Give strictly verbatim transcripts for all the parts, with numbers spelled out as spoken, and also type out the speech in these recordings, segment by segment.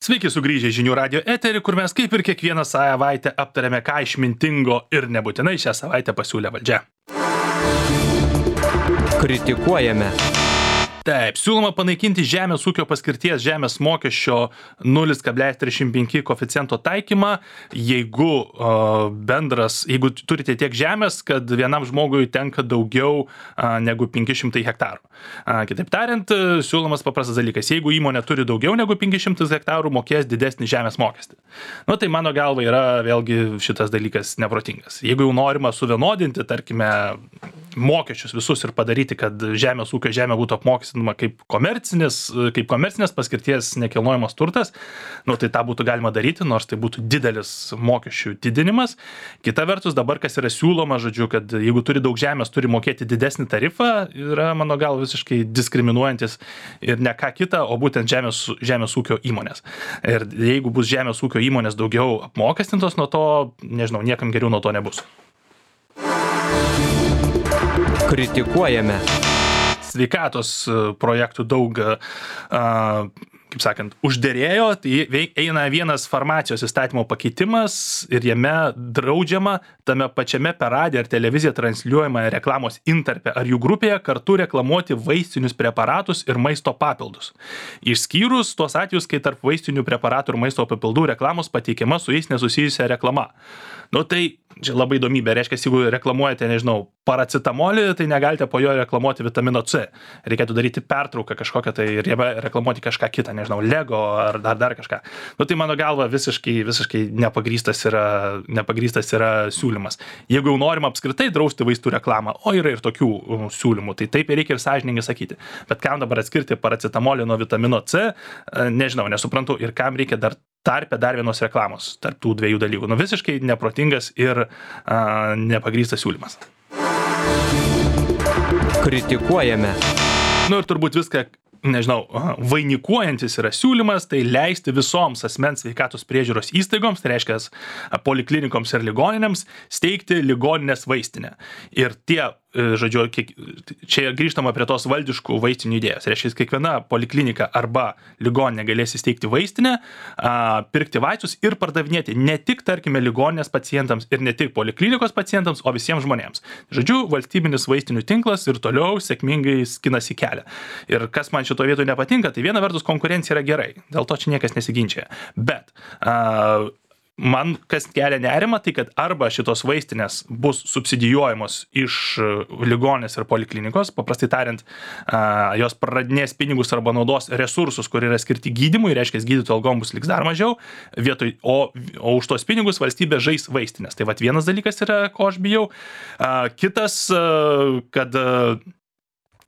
Sveiki sugrįžę į Žinių radijo eterį, kur mes kaip ir kiekvieną savaitę aptarėme, ką išmintingo ir nebūtinai šią savaitę pasiūlė valdžia. Kritikuojame. Taip, siūloma panaikinti žemės ūkio paskirties žemės mokesčio nulis kablelis trisdešimt penki koeficiento taikymą, jeigu uh, bendras, jeigu turite tiek žemės, kad vienam žmogui tenka daugiau uh, negu penki šimtai hektarų. Uh, kitaip tariant, siūlomas paprastas dalykas, jeigu įmonė turi daugiau negu penki šimtai hektarų, mokės didesnį žemės mokestį. Nu, tai mano galva yra vėlgi šitas dalykas neprotingas. Jeigu jau norima suvienodinti, tarkime, mokesčius visus ir padaryti, kad žemės ūkio žemė būtų apmokestinama kaip komercinis, kaip komercinės paskirties nekilnojamas turtas, nu, tai tą būtų galima daryti, nors tai būtų didelis mokesčių didinimas. Kita vertus, dabar kas yra siūloma, žodžiu, kad jeigu turi daug žemės, turi mokėti didesnį tarifą, yra, mano galva, visiškai diskriminuojantis ir ne ką kita, o būtent žemės, žemės ūkio įmonės. Ir jeigu bus žemės ūkio įmonės daugiau apmokestintos, nuo to, nežinau, niekam geriau nuo to nebus. Kritikuojame. Sveikatos projektų daug, kaip sakant, užderėjo, tai eina vienas farmacijos įstatymo pakeitimas ir jame draudžiama tame pačiame per radiją ar televiziją transliuojama reklamos intarpe ar jų grupėje kartu reklamuoti vaistinius preparatus ir maisto papildus. Išskyrus tuos atvejus, kai tarp vaistinių preparatų ir maisto papildų reklamos pateikiama su jais nesusijusia reklama. Nu tai čia labai įdomybė, reiškia, jeigu reklamuojate, nežinau, paracetamolį, tai negalite po jo reklamuoti vitamino C. Reikėtų daryti pertrauką kažkokią tai ir jame reklamuoti kažką kitą, nežinau, Lego ar dar, dar kažką. Nu tai mano galva visiškai, visiškai nepagrįstas yra, nepagrįstas yra siūlymas. Jeigu jau norima apskritai drausti vaistų reklamą, o yra ir tokių siūlymų, tai taip reikia ir sąžiningai sakyti. Bet kam dabar atskirti paracetamolį nuo vitamino C, nežinau, nesuprantu, ir kam reikia dar tarpe dar vienos reklamos tarp tų dviejų dalykų. Nu visiškai neprotingas ir a, nepagrįstas siūlymas. Kritikuojame. Nu ir turbūt viską, nežinau, vainikuojantis yra siūlymas, tai leisti visoms asmens sveikatos priežiūros įstaigoms, tai reiškia poliklinikoms ir ligoninėms, steigti ligoninės vaistinę. Ir tie, žodžiu, čia grįžtama prie tos valdiškų vaistinių idėjos. Reiškia, kiekviena poliklinika arba ligoninė galės įsteigti vaistinę, pirkti vaistus ir pardavinėti ne tik, tarkime, ligoninės pacientams ir ne tik poliklinikos pacientams, o visiems žmonėms. Žodžiu, valstybinis vaistinių tinklas ir toliau sėkmingai skinasi kelią. Ir kas man šito vietoje nepatinka, tai viena vertus konkurencija yra gerai, dėl to čia niekas nesiginčia. Bet a, man kas kelia nerimą, tai kad arba šitos vaistinės bus subsidijuojamos iš ligoninės ir poliklinikos, paprastai tariant, a, jos praradinės pinigus arba naudos resursus, kur yra skirti gydymui, reiškia, gydytojų algom bus liks dar mažiau, vietoj, o, o už tos pinigus valstybė žais vaistinės. Tai vat vienas dalykas yra, ko aš bijau. A, kitas, a, kad a,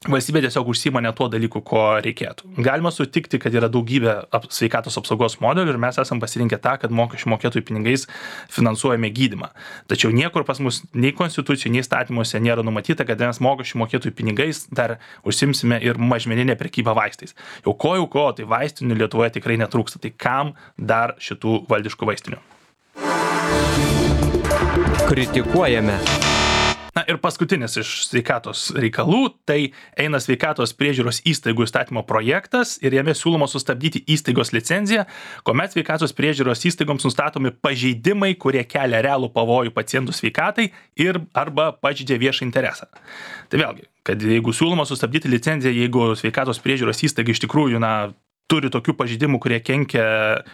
valstybė tiesiog užsiima ne tuo dalyku, ko reikėtų. Galima sutikti, kad yra daugybė sveikatos apsaugos modelių ir mes esam pasirinkę tą, kad mokesčių mokėtojų pinigais finansuojame gydymą. Tačiau niekur pas mus nei konstitucijų, nei įstatymuose nėra numatyta, kad mes mokesčių mokėtojų pinigais dar užsimsime ir mažmeninę prekybą vaistais. Jau ko jau ko, tai vaistinių Lietuvoje tikrai netrūksta. Tai kam dar šitų valdiškų vaistinių? Kritikuojame. Na ir paskutinis iš sveikatos reikalų, tai eina sveikatos priežiūros įstaigų įstatymo projektas ir jame siūloma sustabdyti įstaigos licenciją, kuomet sveikatos priežiūros įstaigoms nustatomi pažeidimai, kurie kelia realų pavojų pacientų sveikatai ir arba pažeidžia viešą interesą. Tai vėlgi, kad jeigu siūloma sustabdyti licenciją, jeigu sveikatos priežiūros įstaiga iš tikrųjų, na, turi tokių pažeidimų, kurie kenkia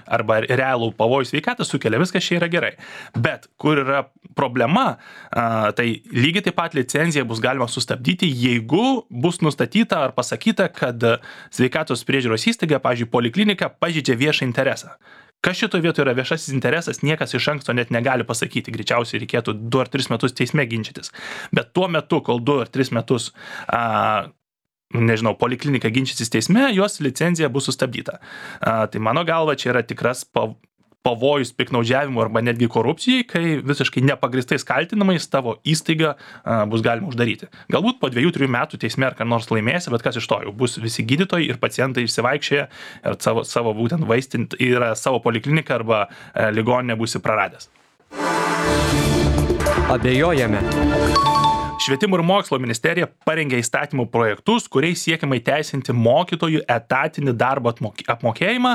arba realų pavojų sveikatą sukelia, viskas čia yra gerai. Bet kur yra problema, tai lygiai taip pat licenciją bus galima sustabdyti, jeigu bus nustatyta ar pasakyta, kad sveikatos priežiūros įstaiga, pavyzdžiui, poliklinika, pažeidžia viešą interesą. Kas šito vietoje yra viešasis interesas, niekas iš anksto net negali pasakyti. Greičiausiai reikėtų du ar tris metus teisme ginčytis. Bet tuo metu, kol du ar tris metus a, nežinau, poliklinika ginčysis teisme, jos licencija bus sustabdyta. A, tai mano galva, čia yra tikras pavojus piktnaudžiavimų arba netgi korupcijai, kai visiškai nepagristais kaltinamais tavo įstaigą a, bus galima uždaryti. Galbūt po dviejų, trijų metų teisme ar ką nors laimėsi, bet kas iš to jau bus visi gydytojai ir pacientai išsivaikščioję ir savo, savo būtent vaistint yra savo polikliniką arba e, ligoninę būsi praradęs. Abejojame. Švietimo ir mokslo ministerija parengė įstatymų projektus, kuriais siekiama įteisinti mokytojų etatinį darbo apmokėjimą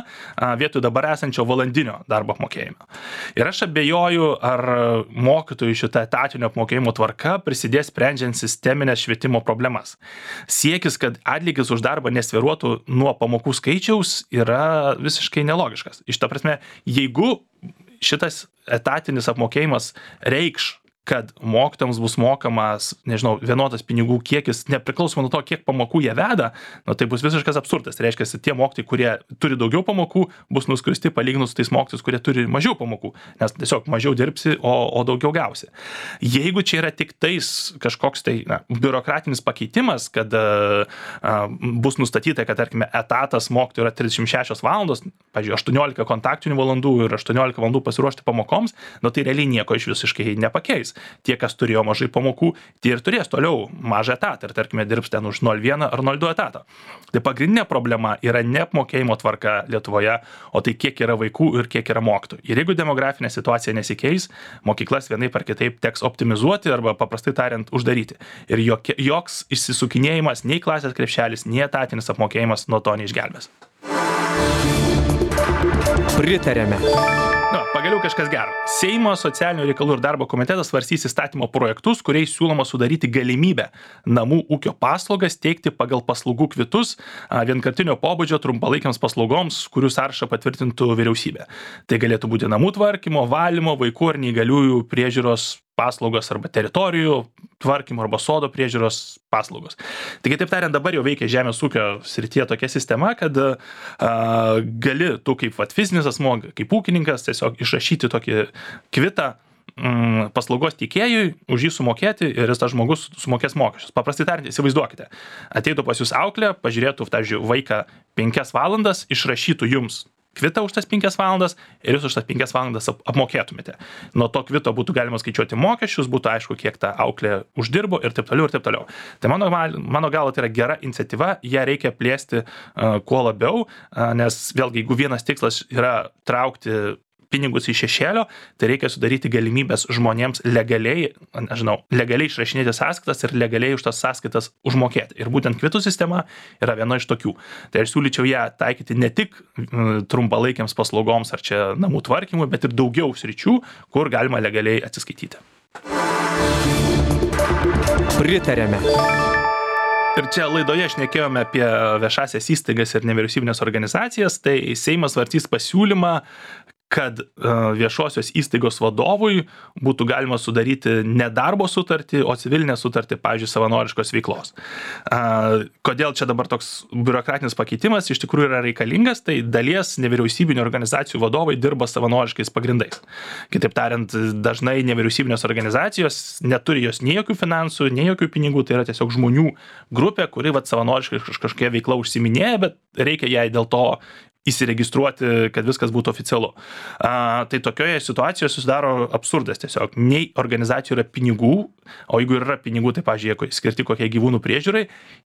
vietoj dabar esančio valandinio darbo apmokėjimo. Ir aš abejoju, ar mokytojų šitą etatinio apmokėjimo tvarka prisidės sprendžiant sisteminės švietimo problemas. Siekis, kad atlygis už darbą nesviruotų nuo pamokų skaičiaus, yra visiškai nelogiškas. Iš ta prasme, jeigu šitas etatinis apmokėjimas reikš, kad mokytojams bus mokamas, nežinau, vienodas pinigų kiekis, nepriklausomai nuo to, kiek pamokų jie veda, nu, tai bus visiškas absurdas. Tai reiškia, tie mokytojai, kurie turi daugiau pamokų, bus nuskristi palyginus su tais mokytojais, kurie turi mažiau pamokų, nes tiesiog mažiau dirbsi, o, o daugiau gausi. Jeigu čia yra tik tais kažkoks tai na, biurokratinis pakeitimas, kad a, a, bus nustatyta, kad, tarkime, etatas mokytojų yra trisdešimt šešios valandos, pavyzdžiui, aštuoniolika kontaktinių valandų ir aštuoniolika valandų pasiruošti pamokoms, nu, tai realiai nieko iš visiškai nepakeis. Tie, kas turėjo mažai pamokų, tie ir turės toliau mažą etatą ir, tarkime, dirbs ten už nol vieną ar nol du etatą. Tai pagrindinė problema yra ne apmokėjimo tvarka Lietuvoje, o tai kiek yra vaikų ir kiek yra mokytojų. Ir jeigu demografinė situacija nesikeis, mokyklas vienaip ar kitaip teks optimizuoti arba paprastai tariant uždaryti. Ir jokie, joks išsisukinėjimas, nei klasės krepšelis, nei etatinis apmokėjimas nuo to neišgelbės. Pritarėme. Na, pagaliau kažkas gero. Seimo socialinių reikalų ir darbo komitetas svarstys įstatymo projektus, kuriais siūloma sudaryti galimybę namų ūkio paslaugas teikti pagal paslaugų kvitus vienkartinio pobūdžio trumpalaikiams paslaugoms, kurių sąrašą patvirtintų vyriausybė. Tai galėtų būti namų tvarkymo, valymo, vaikų ar neįgaliųjų priežiūros paslaugos arba teritorijų tvarkymo arba sodo priežiūros paslaugos. Taigi, taip tariant, dabar jau veikia žemės ūkio srityje tokia sistema, kad a, gali tu kaip vat, fizinis asmuo, kaip ūkininkas tiesiog išrašyti tokį kvitą mm, paslaugos teikėjui, už jį sumokėti ir jis tas žmogus sumokės mokesčius. Paprastai tariant, įsivaizduokite, ateitų pas jūs auklė, pažiūrėtų, pavyzdžiui, vaiką penkias valandas, išrašytų jums kvitą už tas penkias valandas ir jūs už tas penkias valandas apmokėtumėte. Nuo to kvito būtų galima skaičiuoti mokesčius, būtų aišku, kiek ta auklė uždirbo ir taip toliau ir taip toliau. Tai mano, mano galva tai yra gera iniciatyva, ją reikia plėsti uh, kuo labiau, uh, nes vėlgi, jeigu vienas tikslas yra traukti pinigus iš šešėlio, tai reikia sudaryti galimybės žmonėms legaliai, nežinau, legaliai išrašinėti sąskaitas ir legaliai už tas sąskaitas užmokėti. Ir būtent kvitų sistema yra viena iš tokių. Tai aš siūlyčiau ją taikyti ne tik trumpalaikiams paslaugoms ar čia namų tvarkymui, bet ir daugiau sričių, kur galima legaliai atsiskaityti. Pritarėme. Ir čia laidoje šnekėjome apie viešasias įstaigas ir nevyriausybinės organizacijas, tai Seimas svarstys pasiūlymą, kad viešosios įstaigos vadovui būtų galima sudaryti ne darbo sutartį, o civilinę sutartį, pavyzdžiui, savanoriškos veiklos. Kodėl čia dabar toks biurokratinis pakeitimas iš tikrųjų yra reikalingas, tai dalies nevyriausybinių organizacijų vadovai dirba savanoriškais pagrindais. Kitaip tariant, dažnai nevyriausybinės organizacijos neturi jos nei jokių finansų, nei jokių pinigų, tai yra tiesiog žmonių grupė, kuri vat, savanoriškai kažkokia veikla užsiminėja, bet reikia jai dėl to įsiregistruoti, kad viskas būtų oficialu. A, tai tokioje situacijoje susidaro absurdas tiesiog. Nei organizacijų yra pinigų, o jeigu yra pinigų, tai, pavyzdžiui, skirti kokie gyvūnų priežiūrai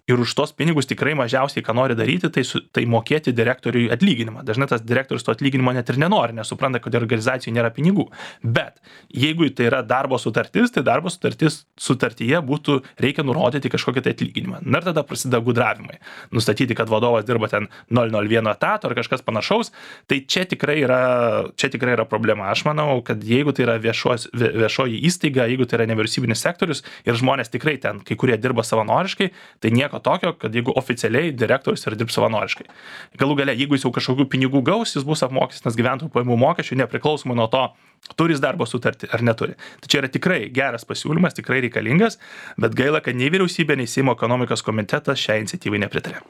ir už tos pinigus tikrai mažiausiai, ką nori daryti, tai, su, tai mokėti direktoriui atlyginimą. Dažnai tas direktorius to atlyginimo net ir nenori, nesupranta, kad organizacijai nėra pinigų. Bet jeigu tai yra darbo sutartis, tai darbo sutartis sutartyje būtų, reikia nurodyti kažkokį tai atlyginimą. Na ir tada prasideda gudravimai. Nustatyti, kad vadovas dirba ten nol nulis vienas etato ar kažkas panašaus, tai čia tikrai yra, čia tikrai yra problema. Aš manau, kad jeigu tai yra viešos, viešoji įstaiga, jeigu tai yra nevyriausybinis sektorius ir žmonės tikrai ten, kai kurie dirba savanoriškai, tai nieko tokio, kad jeigu oficialiai direktorius ir dirbs savanoriškai. Galų gale, jeigu jis jau kažkokių pinigų gaus, jis bus apmokestinas gyventojų pajamų mokesčių, nepriklausomai nuo to, turi jis darbo sutartį ar neturi. Tai čia yra tikrai geras pasiūlymas, tikrai reikalingas, bet gaila, kad nei vyriausybė, nei Seimo ekonomikos komitetas šią iniciatyvai nepritarė.